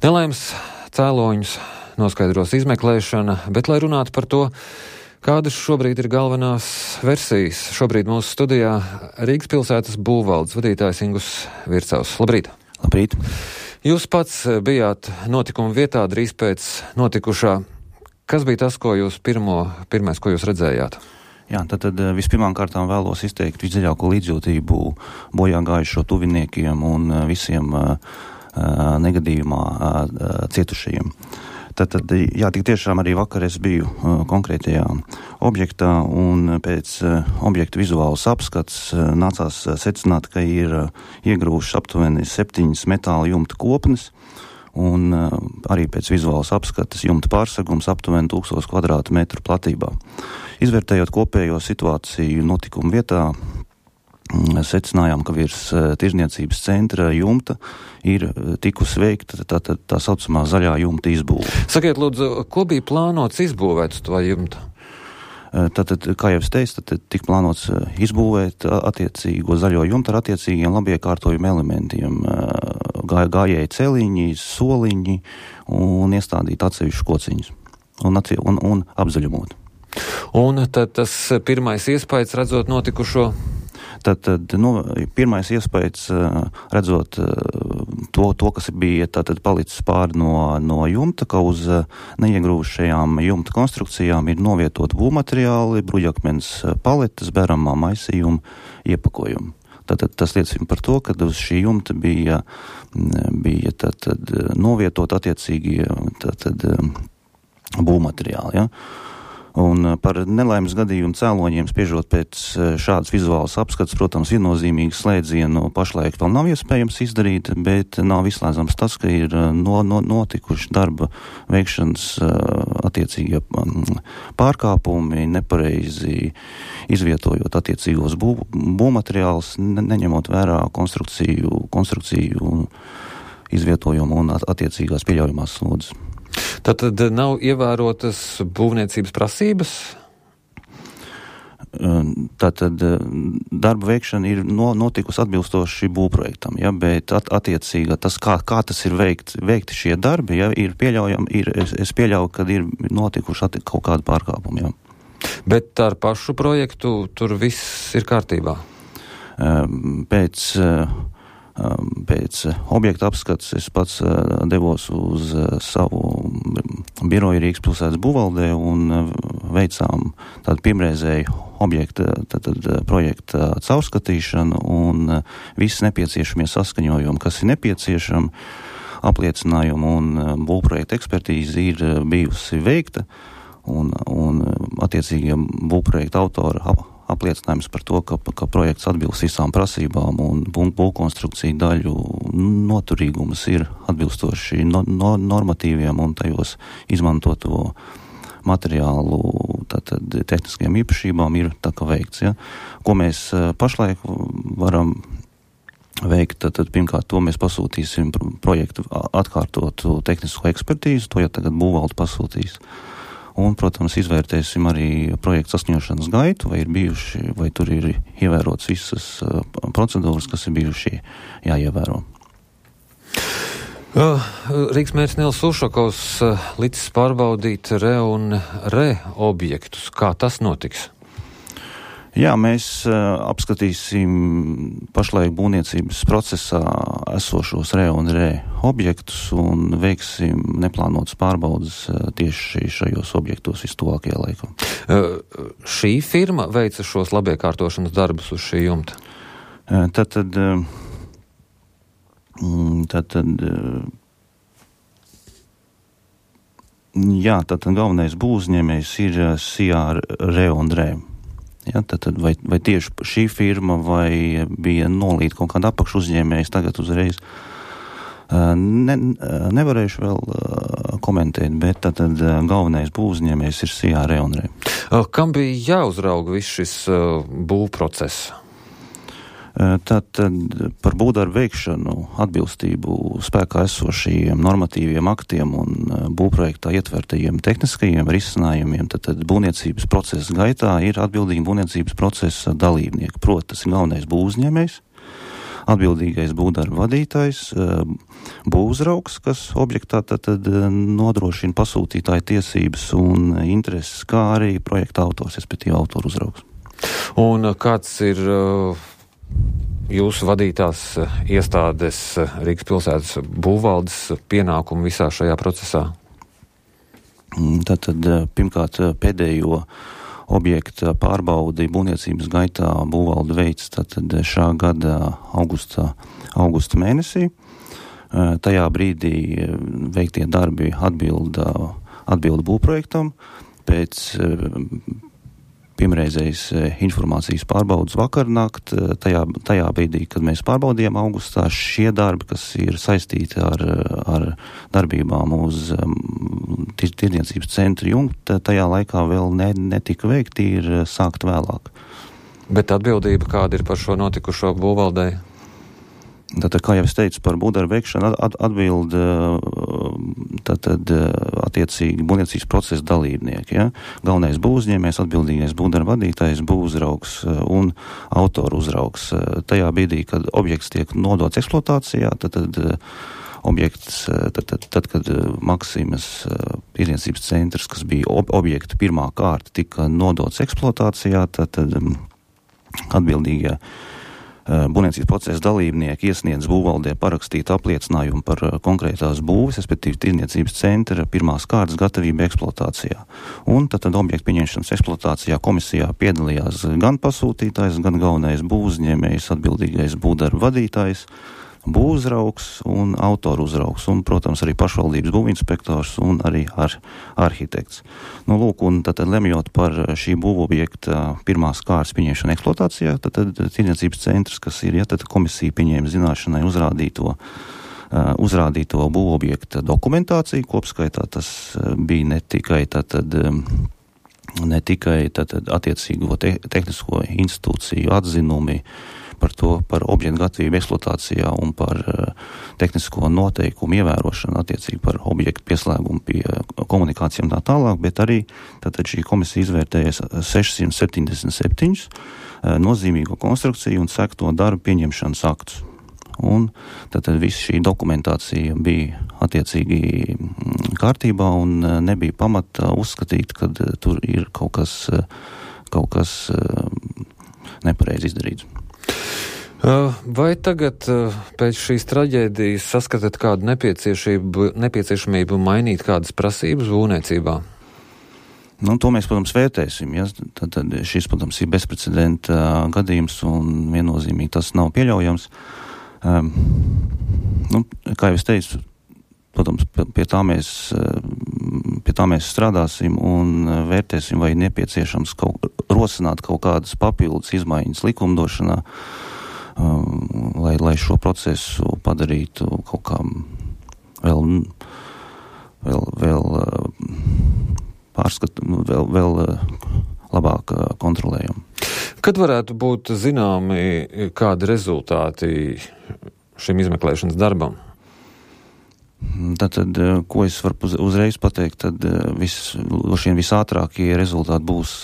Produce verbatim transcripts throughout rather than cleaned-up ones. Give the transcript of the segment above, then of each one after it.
Nelaimes cēloņus noskaidros izmeklēšana, bet, lai runātu par to, kādas šobrīd ir galvenās versijas, šobrīd mūsu studijā Rīgas pilsētas būvvaldes vadītājs Ingus Vircaus. Labrīt! Labrīt! Jūs pats bijāt notikuma vietā drīz pēc notikušā. Kas bija tas, ko jūs pirmo, pirmais, ko jūs redzējāt? Jā, tad, tad vispirmām kārtām vēlos izteikt visdziļāko līdzjūtību bojā gājušo tuviniekiem un visiem uh, negadījumā uh, cietušajiem. Tad, tad, jā, tik tiešām arī vakar es biju uh, konkrētajā objektā un pēc uh, objekta vizuālas apskats uh, nācās uh, secināt, ka ir uh, iegrūšas aptuveni septiņas metāla jumta kopnes un uh, arī pēc vizuālas apskatas jumta pārsegums aptuveni tūkstoš kvadrātmetru platībā. Izvērtējot kopējo situāciju notikuma vietā, secinājām, ka virs uh, tirzniecības centra jumta ir uh, tikusi veikta tā, tā, tā saucamā zaļā jumta izbūve. Sakiet, lūdzu, ko bija plānots izbūvēt uz to jumta? Uh, Tātad, kā jau es teicu, tad tika plānots uh, izbūvēt uh, attiecīgo zaļo jumtu ar attiecīgiem labiekārtojumu elementiem. Uh, gā, gājēji celiņi, soliņi un iestādīt atsevišķu kociņus un, atse, un, un apzaļumot. Un tad tas pirmais iespējas redzot notikušo? Tad, tad nu, pirmais iespējas redzot to, to kas bija tātad palicis pāri no, no jumta, ka uz neiegrūšajām jumta konstrukcijām ir novietot būvmateriāli, bruģakmens paletes, beramā maisījuma iepakojumi. Tātad tas liecina par to, ka uz šī jumta bija, bija tātad novietot attiecīgie tātad būvmateriāli, ja? Un par nelaimes gadījumu cēloņiem spriežot pēc šādas vizuālas apskats, protams, viennozīmīgi slēdzienu pašlaik vēl nav iespējams izdarīt, bet nav izslēdzams tas, ka ir no, no, notikuši darba veikšanas attiecīgie pārkāpumi, nepareizi izvietojot attiecīgos bū, būvmateriālus, ne, neņemot vērā konstrukciju, konstrukciju izvietojumu un attiecīgās pieļaujamās slodzes. Tātad nav ievērotas būvniecības prasības? Tātad darba veikšana ir no, notikusi atbilstoši būvprojektam, ja, bet at, attiecīga tas, kā, kā tas ir veikt, veikti šie darbi, ja, ir pieļaujami, ir, es, es pieļauju, ka ir notikuši atti, kaut kādi pārkāpumi, ja. Bet ar pašu projektu tur viss ir kārtībā? Pēc... Pēc objekta apskats es pats devos uz savu biroju Rīgas pilsētas būvvaldē un veicām tādu pirmreizēju objekta tātad, projekta caurskatīšanu un visi nepieciešamie saskaņojumi, kas ir nepieciešami, apliecinājumi un būvprojekta ekspertīze ir bijusi veikta un, un attiecīgie būvprojekta autori ap, apliecinājums par to, ka, ka projekts atbilst visām prasībām un būvkonstrukciju daļu noturīgums ir atbilstoši no, no, normatīviem un tajos izmantoto materiālu tātad tehniskajām īpašībām ir tā kā veikts. Ja? Ko mēs pašlaik varam veikt, tad, tad pirmkārt to mēs pasūtīsim projektu atkārtotu tehnisko ekspertīzu, to ja tagad būvvalde pasūtīs. Un, protams, izvērtēsim arī projekta saskaņošanas gaitu, vai ir bijuši, vai tur ir ievērotas visas uh, procedūras, kas ir bijuši jāievēro. Uh, Rīgas mērs Nils Ušakovs uh, licis pārbaudīt re un re objektus. Kā tas notiks? Jā, mēs uh, apskatīsim pašlaik būvniecības procesā esošos re un re objektus un veiksim neplānotas pārbaudas uh, tieši šajos objektos vistuvākajā laikā. Uh, šī firma veica šos labiekārtošanas darbus uz šī jumta? Uh, tad, tad, uh, tad, tad uh, jā, tad galvenais būvuzņēmējs ir uh, C R re un re. Ja, tad, tad vai, vai tieši šī firma vai bija nolīta kaut kāda apakšu uzņēmējs tagad uzreiz ne, nevarēšu vēl komentēt, bet tad, tad galvenais būvuzņēmējs ir C R re un re. Kam bija jāuzrauga viss šis būvprocess? Tad, tad par būvdarbu veikšanu atbilstību spēkā esošajiem normatīviem aktiem un būvprojektā ietvertajiem tehniskajiem risinājumiem, tad, tad būvniecības procesa gaitā ir atbildīgi būvniecības procesa dalībnieki. Proti, tas ir galvenais būvuzņēmējs, atbildīgais būvdarba vadītājs, būvuzraugs, kas objektā tad, tad nodrošina pasūtītāju tiesības un intereses, kā arī projekta autors, respektīvi autoru uzraugs. Un kāds ir jūsu vadītās iestādes Rīgas pilsētas būvvaldes pienākumu visā šajā procesā? Tātad pirmkārt pēdējo objekta pārbaudi būvniecības gaitā būvvalde veids tātad šā gada augusta, augusta mēnesī. Tajā brīdī veiktie darbi atbilda, atbilda būvprojektam. Pēc pirmreizējas informācijas pārbaudas vakarnakt, tajā, tajā brīdī, kad mēs pārbaudījām augustā, šie darbi, kas ir saistīti ar, ar darbībām uz tirdzniecības centru jumta, tajā laikā vēl ne, netika veikti, ir sākt vēlāk. Bet atbildība kāda ir par šo notikušo būvvaldē? Tātad, kā jau es teicu, par būvdarbu veikšanu at, atbild tātad attiecīgi būvniecības procesa dalībnieki. Ja? Galvenais būvuzņēmējs, atbildīgais būvdarba vadītājs, būvuzraugs un autoru uzraugs. Tajā brīdī, kad objekts tiek nodots eksploatācijā, tad, tad objekts, tad, tad, tad kad Maksimas tirdzniecības centrs, kas bija ob, objekta pirmā kārta, tika nodots eksploatācijā, tad, tad atbildīgie būvniecības procesa dalībnieki iesniedz būvvaldē parakstīt apliecinājumu par konkrētās būves, respektīvi tirdzniecības centra pirmās kārtas gatavību eksploatācijā. Un tad, tad objekta pieņemšanas eksploatācijā komisijā piedalījās gan pasūtītājs, gan galvenais būvuzņēmējs, atbildīgais būvdarba vadītājs, būvuzraugs un autoru uzraugs, un, protams, arī pašvaldības būvinspektors un arī ar arhitekts. Nu, lūk, un tad, tad lemjot par šī būvobjekta pirmās kārtas pieņemšanu eksploatācijā, tad, tad tirdzniecības centrs, kas ir, ja tad komisija pieņēma zināšanai uzrādīto, uh, uzrādīto būvobjekta dokumentāciju, kopskaitā tas uh, bija ne tikai tātad, um, ne tikai tātad attiecīgo te, tehnisko institūciju atzinumi, par to, par objektu gatavību eksploatācijā un par uh, tehnisko noteikumu ievērošanu attiecīgi par objektu pieslēgumu pie uh, komunikācijām tā tālāk, bet arī tātad šī komisija izvērtēja sešsimt septiņdesmit septiņus uh, nozīmīgo konstrukciju un sekto darbu pieņemšanas aktus. Un tātad viss šī dokumentācija bija attiecīgi kārtībā un uh, nebija pamata uzskatīt, ka uh, tur ir kaut kas, uh, kaut kas uh, nepareizi izdarīts. Vai tagad pēc šīs traģēdijas saskatāt kādu nepieciešamību mainīt kādas prasības būvniecībā? Nu, to mēs, protams, vērtēsim. Ja? Tad, tad šis, protams, ir bezprecedenta gadījums un viennozīmīgi tas nav pieļaujams. Um, nu, kā jau es teicu, protams, pie tā mēs, pie tā mēs strādāsim un vērtēsim, vai nepieciešams kaut, rosināt kaut kādas papildus izmaiņas likumdošanā, lai, lai šo procesu padarītu kaut kā vēl, vēl, vēl pārskat, vēl, vēl labāk kontrolējam. Kad varētu būt zināmi kādi rezultāti šim izmeklēšanas darbam? Tātad, ko es varu uzreiz pateikt, tad vis, šiem visātrākie rezultāti būs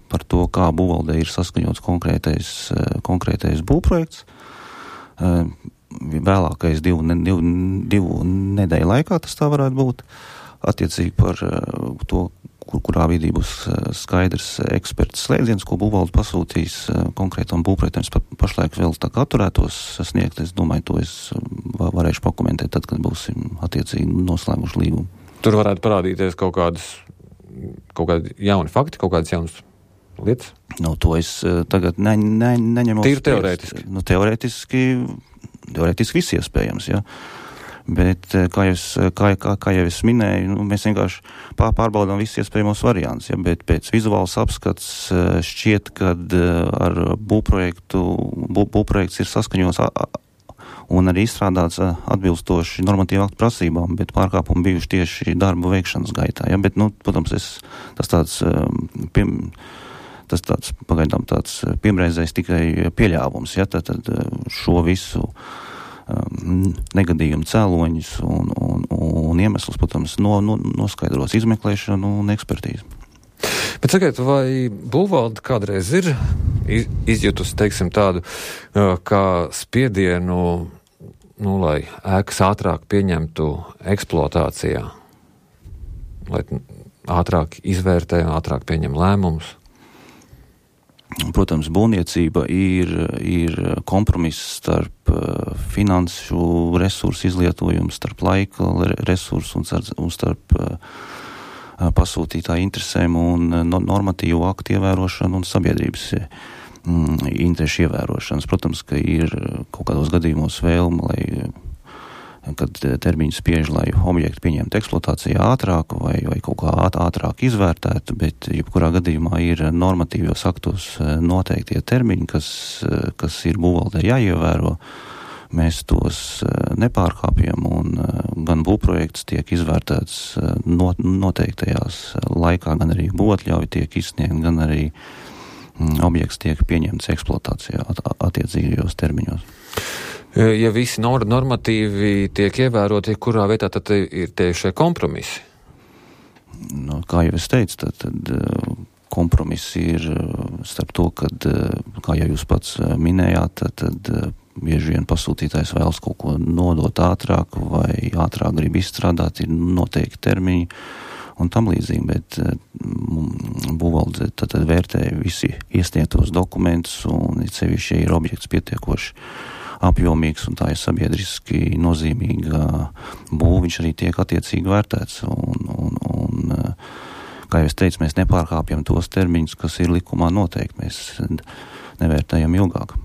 par to, kā būvvaldē ir saskaņots konkrētais, konkrētais būvprojekts. Vēlākais divu, divu, divu nedēļu laikā tas tā varētu būt. Attiecīgi par to, kur, kurā vidī būs skaidrs eksperts slēdziens, ko būvvalde pasūtīs konkrētam būvprojektam. Pa, pašlaik vēl tā kā atturētos sniegt, es domāju, to es varēšu pakomentēt tad, kad būsim attiecīgi noslēguši līgumu. Tur varētu parādīties kaut kādas, kaut kādi jauni fakti, kaut kādas jaunas lietas? Nu, to es tagad ne, ne, neņemos. Tīri teorētiski? Nu, teorētiski, teorētiski viss iespējams, jā. Bet, kā jau es, kā, kā, kā jau es minēju, nu, mēs vienkārši pārbaudām visus iespējamos variants, ja, bet pēc vizuāls apskats šķiet, kad ar būvprojektu, bū, būvprojekts ir saskaņots un arī izstrādāts atbilstoši normatīvu aktu prasībām, bet pārkāpumi bijuši tieši darbu veikšanas gaitā, ja, bet, nu, protams, es, tas tāds, piem, tas tāds, pagaidām tāds pirmreizais tikai pieļāvums, ja, tad, tad šo visu negadījumu cēloņus un, un, un iemeslus, protams, no, no, noskaidros izmeklēšanu un ekspertīzi. Bet sakiet, vai būvvalde kādreiz ir iz, izjutusi, teiksim, tādu kā spiedienu, nu, lai ēkas ātrāk pieņemtu eksploatācijā, lai ātrāk izvērtē, ātrāk pieņem lēmumus? Protams, būvniecība ir, ir kompromiss starp finanšu resursu izlietojumu, starp laika resursu un starp, un starp pasūtītāju interesēm un normatīvu aktu ievērošanu un sabiedrības interešu ievērošanas. Protams, ka ir kaut kādos gadījumos vēlme, lai kad termiņi spiež, lai objektu pieņemtu eksploatācijā ātrāk vai, vai kaut kā ātrāk izvērtētu, bet jebkurā gadījumā ir normatīvos aktos noteiktie termiņi, kas, kas ir būvvaldē jāievēro. Mēs tos nepārkāpjam un gan būvprojekts tiek izvērtēts noteiktajās laikā, gan arī būvatļauja tiek izsniegt, gan arī objekts tiek pieņemts eksploatācijā attiecīgajos termiņos. Ja visi normatīvi tiek ievēroti, kurā vietā tad ir tie šie kompromisi? Nu, kā jau es teicu, tad, tad kompromisi ir starp to, kad, kā jau jūs pats minējāt, tad, tad bieži vien pasūtītājs vēlas kaut ko nodot ātrāk vai ātrāk grib izstrādāt, ir noteikti termiņi un tam līdzīgi, bet būvvalde tad, tad vērtē visi iesniegtos dokumentus un it sevišķi ir objekts pietiekoši apjomīgs un tā ir sabiedriski nozīmīga būva, viņš arī tiek attiecīgi vērtēts. Un, un, un, kā jau es teicu, mēs nepārkāpjam tos termiņus, kas ir likumā noteikti. Mēs nevērtējam ilgāk.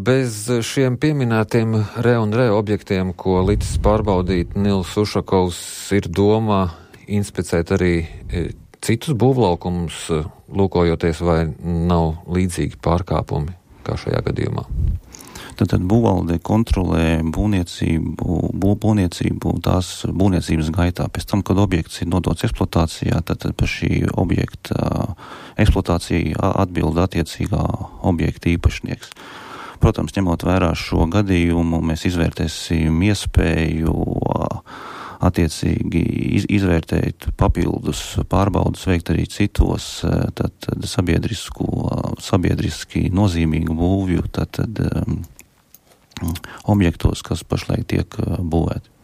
Bez šiem pieminētiem re un re objektiem, ko licis pārbaudīt Nils Ušakovs, ir domā inspicēt arī citus būvlaukumus, lūkojoties, vai nav līdzīgi pārkāpumi kā šajā gadījumā? Tad, tad būvvalde kontrolē būvniecību, bū, būvniecību tās būvniecības gaitā. Pēc tam, kad objekts ir nodots eksploatācijā, tad, tad par šī objekta eksploatāciju atbild attiecīgā objekta īpašnieks. Protams, ņemot vērā šo gadījumu, mēs izvērtēsim iespēju attiecīgi iz, izvērtēt papildus pārbaudus veikt arī citos tad, tad sabiedriski nozīmīgu būvju tad, tad, um, objektos, kas pašlaik tiek būvēti.